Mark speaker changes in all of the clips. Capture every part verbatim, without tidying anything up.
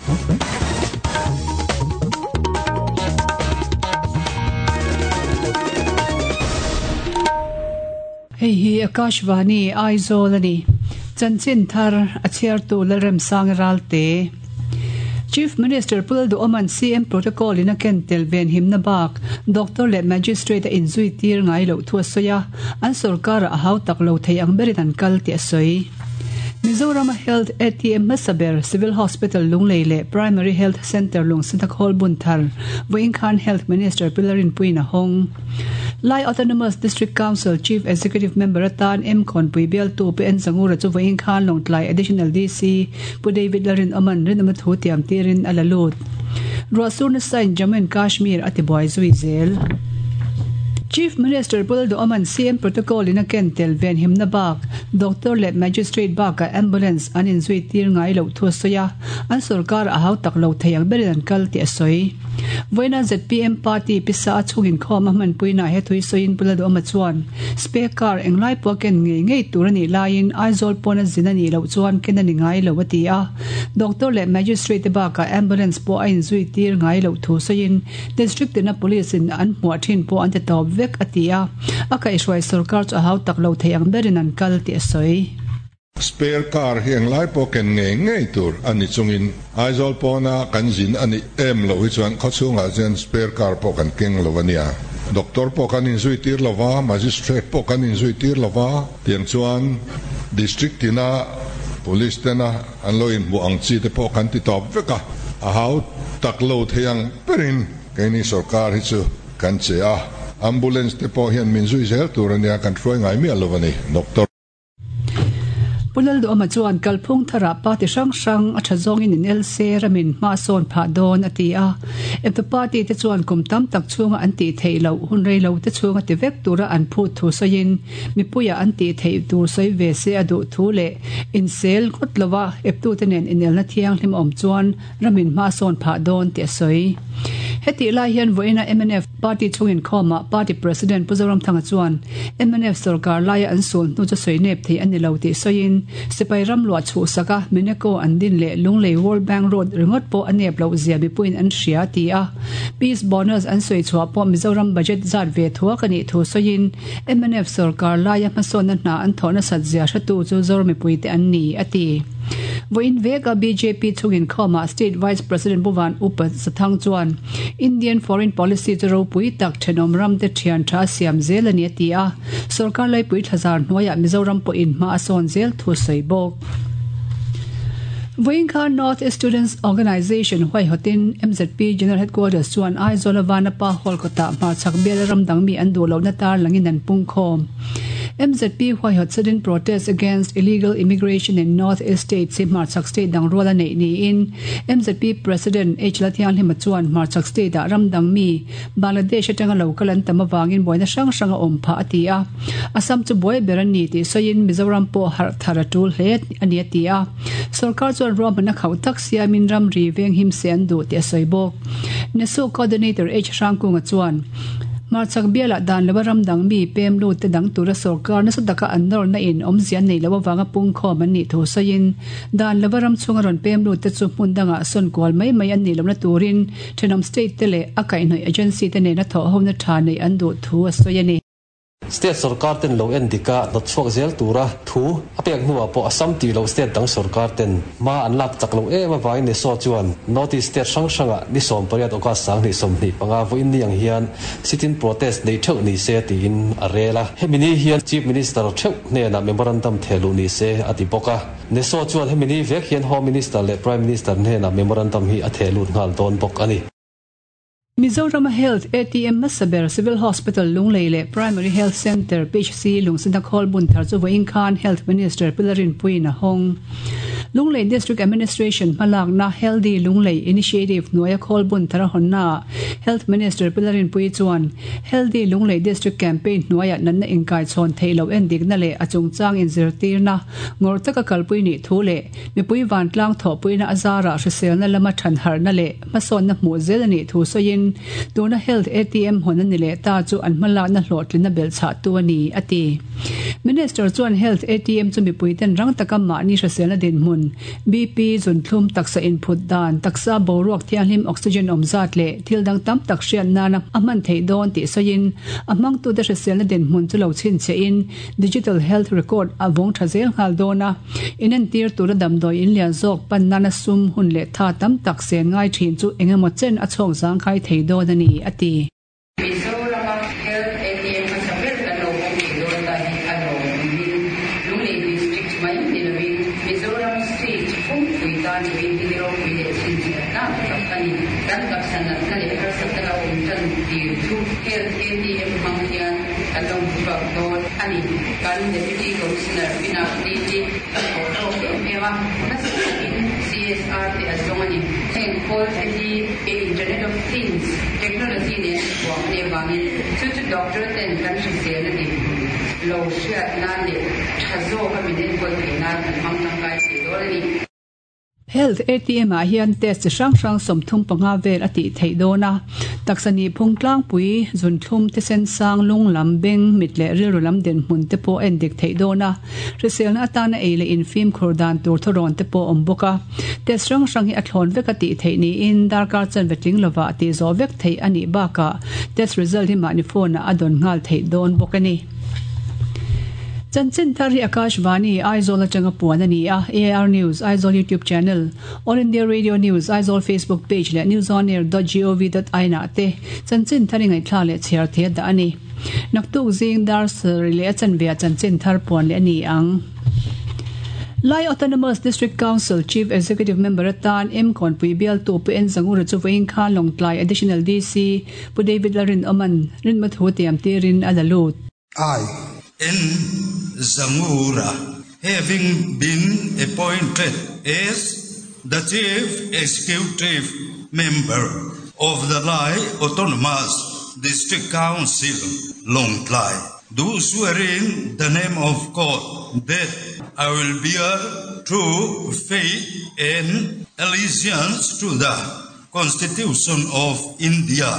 Speaker 1: Hei hi Akashvani Aizawl ani. Chanchin thar a chhiartu Lalremsang Ralte. Chief Minister Pu Lalduhoma'n C M Protocol in a ken tel ven himna bak Doctor leh Magistrate a inzui tir ngai loh thu a sawi a, an sorkar ah a hau tak lo thei ang berin an kal tih a sawi. Mizoram a Health A T M hmasa ber Civil Hospital Lunglei leh Primary Health Centre Lungsinak Hall bun thar vawiin khan Health Minister Pi Larinpuiin a hawng. Lai Autonomous District Council Chief Executive Member atan M Khawnpui bialtu Pu En Zangura chu vawiin khan Lawngtlai Additional D C Pu David Larinawman rinawma thu tiam tirin a la lut. Ruahsur nasain Jammu and Kashmir a tibuai zui zel. Chief Minister Pu Lalduhoma'n C M Protocol in a ken tel ven himna bak Doctor leh Magistrate bakah Ambulance an inzui tir ngai loh thu a sawi a, an sorkar a hau tak lo thei ang berin an kal tih a sawi. Vawiina Z P M Party pisa a chhung inkhawm a hmanpuinaah he thui sawiin Pu Lalduhoma chuan spare car englai pawh a ken ngei ngei tur a nih laiin Aizawl pawn a zin a nih loh chuan ken a ni ngai lo a ti a. Doctor leh Magistrate te bakah Ambulance pawh a inzui tir ngai loh thu sawiin District tina Police in an hmuah thin pawh an ti tawp vek a ti a, a kaihhruai sorkar chu a hau tak lo thei ang berin an kal tih a sawi.
Speaker 2: Spare car hi englai pawh ken ngei ngei tur a ni chungin Aizawl pawna kan zin a nih em loh hi chuan khawchhungah chuan spare car pawh kan keng lo a nia. Doctor pawh kan inzui tir lo va, Magistrate pawh kan inzui tir lo va, tiang chuan District tina Police tena an lo inhmuh ang chi te pawh kan ti tawp vek a, a hau tak lo thei ang berin keini sorkar hi chu kan che a, Ambulance te pawh hian min zui zel tur a nia, kan hruai ngai miah lo a ni, Doctor.
Speaker 1: Pu Lalduhoma chuan kalphung tharah party hrang hrang a tha zawngin in L C ramin hma sawn phah dawn a ti a. Eptu party te chuan kum tam tak chhunga an tih theih loh hun rei lo te chhunga ti vek tura an phut thu sawiin mipuia an tih theih tur sawi ve se a duh thu leh insel ngawt lova eptu te nen inelna thianghlim a awm chuan ramin hma sawn phah dawn tih a sawi. Hetih lai hian vawiina M N F party chhung inkhawmah party president Pu Zoramthanga chuan M N F sorkar laia an sul hnu chu sawi nep thei a ni lo tih sawiin sipai ram luah chhuhsak a Mineco an din leh Lunglei World Bank Road ringawt pawh a nep loh zia mipuiin an hria ti a. Peace bonus an sawi chhuah pawh Mizoram budget zat ve thuak a nih thu sawiin M N F sorkar laia hmasawnna hna an thawh nasat zia hretu chu Zoram mipuite an ni a ti. Vawiin veka B J P chhung inkhawmah State Vice President Pu Van Upa Sathang chuan Indian Foreign Policy chu ropui tak thenawm ram te thian tha a siam zel a ni a ti a. Sorkar laipui thlazar hnuaiah Mizoram pawhin hma a sawn zel thu sawi bawk. Vawiin khan North East Students Organisation huaihawtin M Z P General Headquarters chuan Aizawl a Vanapa Hall kawtah hmarchhak bial ram dang mi an duh lohna tar langin an pung khawm. M Z P huaihawt sudden protest against illegal immigration in North East State hi hmarchhak state dang rual a neih niin M Z P President H Lalthianghlima chuan hmarchhak state ah ram dang mi Bangladesh atanga local an tam awangin buaina hrang hrang a awm phah a ti a. Assam chu buai ber a ni tih sawiin Mizoram pawh harh thar a tul hle a ni a ti a. Sorkar chuan ruahman a khauh tak siamin ram ri veng him se an duh tih a sawi bawk. Nesu Coordinator H Hrangkunga chuan hmarchhak bialah dan lova ram dang mi pem lut te dang tura sorkar nasa taka an nawrna in awmzia an nei loh avanga pung khawm an nih thu sawiin dan lova ram chhunga rawn pem lut te chu hmun dangah sawn kual mai mai an nih lohna turin thenawm state te leh a kaihhnawih agency te nena thawh hona tha neih an duh thu a sawi a ni.
Speaker 3: State sarkar ten lo en dika hnawt chhuak zel tura thu a pek hnuah pawh Assam tih loh state dang sarkar ten hma an lak chak lo em avangin NESO chuan North East state hrang hrangah ni sawm pariat August sanghnih sawmhnih panga vawiin ni ang hian sit-in protest nei theuh ni se tiin a rel a. Hemi ni hian Chief Minister theuh hnenah memorandum thehluh ni se a ti bawk a. NESO chuan hemi ni vek hian Home Minister leh Prime Minister hnenah memorandum hi a thehlut nghal dawn bawk a ni.
Speaker 1: Mizoram a Health A T M hmasa ber Civil Hospital Lunglei leh Primary Health Centre P H C Lungsinak Hall bun thar chu vawiin khan Health Minister Pi Larinpuiin a hawng. Lunglei District Administration hmalakna Healthy Lunglei Initiative hnuaia khawl bun thar a hawnnaah Health Minister Pi Larinpui chuan Healthy Lunglei District Campaign hnuaiah natna inkai chhawn theih loh endikna leh a chungchang inzirtirna ngawrh taka kalpui nih thu leh mipui vantlang thawhpuina a zarah hriselna lama than harhna leh hmasawnna hmuh zel a nih thu sawiin tuna Health A T M hawn a ni leh ta chu an hmalakna hlawhtlinna belh chhah tu a ni a ti. Minister chuan Health A T M chu mipui ten rang taka mahni hriselna dinhmun hmun B P zunthlum taksa input dan taksa boruak thianghlim oxygen awm zat leh thil dang tam tak hriat nana a hman theih dawn tih sawiin a hmangtu te hriselna dinhmun chu lo chhinchhe in digital health record a vawng tha zel nghal dawn a inentir tura damdawi in lian zawk pan nana sum hun leh tha tam tak sen ngai thin chu engemaw chen a chhawk zangkhai thei dawn a ni a ti.
Speaker 4: Mizorama Health A T M hmasa ber kan lo awm thei dawn ta hi a lawm in Lunglei district mai ni lovin Mizoram state phumpui tan chuin hi ropui leh chhinchhiatna tak a ni. Kan taksa natna leh harsatna lo awm tan tir chu Health A T M hmang hian kan lo hmuchhuak dawn a ni. Kan Deputy Commissioner Pinak D G a thawh hlawk em em a, nasa takin C S R te a zawng a ni. Heng khawl te hi Internet of Things technology nen thuam a nih avangin chu chu doctor ten kan hrisel a dinhmun lo hriat nan leh tha zawk a min enkawl theih nan an hmang tangkai thei dawn a ni.
Speaker 1: Health A T M ah hian test chi hrang hrang sawmthum panga vel a tih theih dawn a taksa ni phung tlangpui zunthlum thisen sang lung lam beng mit leh rilru lam dinhmun te pawh en dik theih dawn a hriselna atana ei leh infim khur dan tur thawrawn te pawh awm bawk a test hrang hrang hi a thlawn vek a tih theih niin darkar chan vetling lova a tih zawh vek theih a nih bakah test result hi mahni phone ah a dawn nghal theih dawn bawk a ni. Chanchin thar hi Akashvani Aizawl atanga puan a ni a A I R News Aizawl YouTube channel All India Radio News Aizawl Facebook page leh newsonair dot gov dot in ah te chanchin thar i ngaihthla leh chhiar thei a dah a ni. Naktuk zing dar sarih leh a chanve ah chanchin thar puan leh a ni ang. Lai Autonomous District Council Chief Executive Member atan M Kawnpui bialtu Pu N Zangura chu vawiin khan Lawngtlai Additional D C Pu David Larin Oman rinma thu tiam tirin a la lut.
Speaker 5: I
Speaker 6: N Zangura, having been appointed as the Chief Executive Member of the Lai Autonomous District Council, Lawngtlai, do swear in the name of God that I will bear true faith and allegiance to the Constitution of India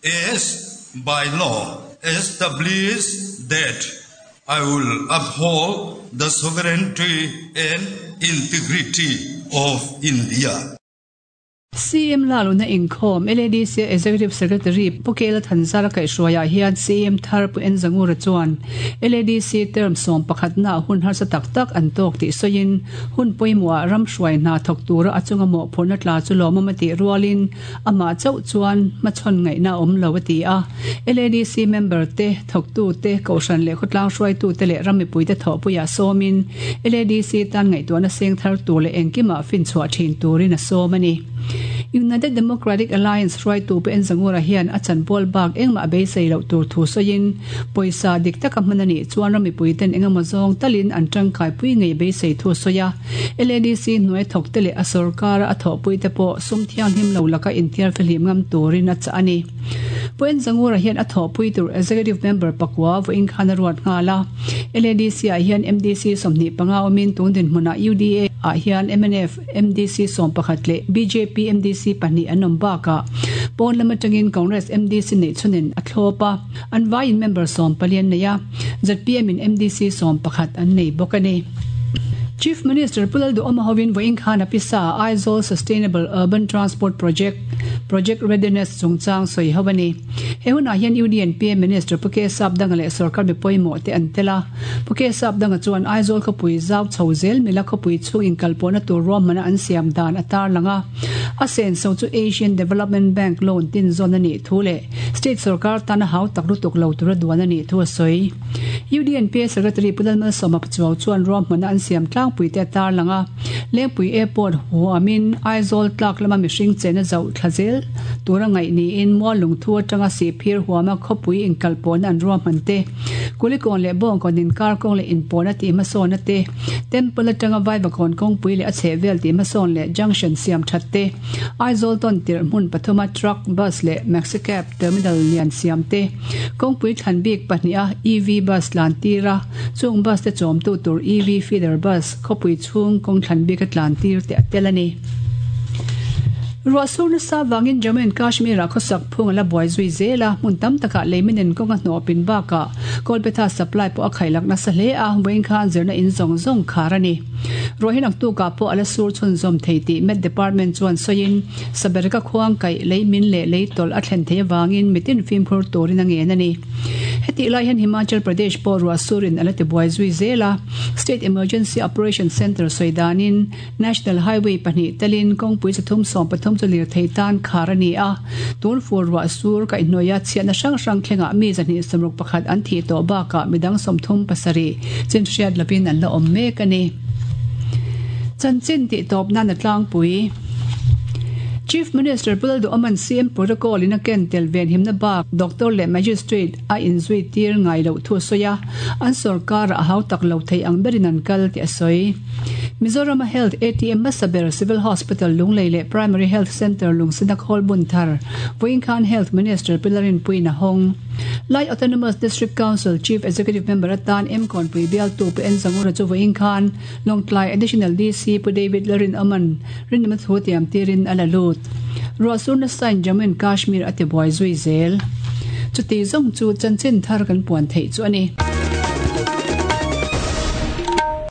Speaker 6: as by law established, that I will uphold the sovereignty and integrity of India.
Speaker 1: C M Laluna inkhawm L A D C Executive Secretary Pu Kela Thanzara kaihhruaiah hian C M thar Pu N Zangura chuan L A D C term sawm pakhat na hun harsa tak tak an tawk tih sawiin hun pawimawh ram hruai hna thawk tura a chunga mawh phurna tla chu lawm a tih rualin amah chauh chuan hmachhawn ngaihna awm lo a ti a. L A D C member te thawktu te kohhran leh khawtlang hruaitu te leh ram mipui te thawhpuiah sawmin L A D C tan ngaihtuahna seng thar tur leh engkimah finchhuah thin turin a sawm a ni. United Democratic Alliance hruaitu Pu N Zangura hian a chanpawl bak engmah beisei loh tur thu sawiin pawisa dik taka hman a nih chuan ram mipui ten engemaw zawng talin an tangkai pui ngei beisei thu sawi a. L A D C hnuai thawk te leh a sarkar a thawhpui te pawh sum thianghlim lo laka inthiar fihlim ngam turin a chah a ni. Pu N Zangura hian a thawhpui tur Executive Member pakua vawiin khan a ruat nghal a. L A D C ah hian M D C sawmhnih panga awmin tun dinhmunah U D A ah hian M N F M D C sawm pakhat leh B J P M D C pahnih an awm bakah pawn lam atangin Congress M D C nei chunin a thlawp a an vaiin member sawm palian nei a Z P M in M D C sawm pakhat an nei bawk a ni. Chief Minister Pu Lalduhoma hovin vawiin khan a pisa Aizawl Sustainable Urban Transport Project Project Readiness chungchang sawi ho a ni. He hunah hian U D N P M Minister Pu K Sap Danga leh sarkar mipawimawh te an tel a. Pu K Sap Danga chuan Aizawl khawpui zau chho zel mila khawpui chhung inkalpawhna tur ruahmana an siam dan a tar lang a. A sen so chu Asian Development Bank loan tin zawn a nih thu leh state sarkar tana hau tak lutuk lo tura duan a nih thu a sawi. U D N P Secretary Pu Lalmalsawma Pachuau chuan ruahmana an siam tlangpui te a tar lang a. Lengpui Airport huamin Aizawl tlak lama mihring chena zauh thla zel tura ngaih niin mual lungthu atanga sihphir huama khawpui inkalpawhna an ruahman te Kulikawn leh Bawngkawn inkar kawng leh inpawhna tih hmasawnna te Temple atanga Vaivakawn kawngpui leh a chhehvel tih hmasawn leh junction siam that te Aizawl tawn tirh hmun pathuma truck bus leh maxi cab terminal lian siam te kawngpui thlan bik pahnih a E V bus tlan tira chung bus te chawmtu tur E V feeder bus khawpui chhung kawng thlan bik a tlan tir te a tel a ni. Ruahsur nasa wangin Jammu and Kashmir ah khawsak phung a la buai zui zel a hmun tam takah leiminen kawng a hnawh pin bakah Kolpetha supply pawh a khailak nasa hle a vawiin khan zirna in zawng zawng khar a ni. Ruah hi naktukah pawh a la sur chhunzawm thei tih Met Department chuan sawiin Sabereka khuang kaih lei min leh lei tawlh a thlen theih avangin mitin fimkhur turin a ngen a ni. Hetih lai hian Himachal Pradesh pawh ruah surin a la tibuai zui zel a, State Emergency Operation Centre sawi danin National Highway pahnih telin kawngpui chathum sawm pathum chu lirthei tan khar a ni a, tun fur ruah sur kaihhnawih a chhiatna hrang hrang thlengah mi zahnih sawmruk pakhat an thih tawh bakah midang sawmthum pasarih chin hriat lovin an la awm mek a ni. Chanchin tih tawp nan a tlangpui. Chief Minister Pu Lalduhawma'n C M Protocol in a ken tel venhimna bak Doctor leh Magistrate a inzui tir ngai loh thu a sawi a, an sorkar ah a hau tak lo thei ang berin an kal tih a sawi. Mizoram a Health A T M hmasa ber Civil Hospital Lunglei leh Primary Health Centre Lungsina khawl bun thar vawiin khan Health Minister Pi Larinpuiin a hawng. Lai Autonomous District Council Chief Executive Member atan M Kawnpui bialtu Pu N Zangura chu vawiin khan Lawngtlai Additional D C Pu David Larinawma'n rinawm a thu tiam tirin a la lut. Ruahsur nasain Jammu and Kashmir a tibuai zui zel. Chuti zawng chu chanchin thar kan puan theih chu a ni.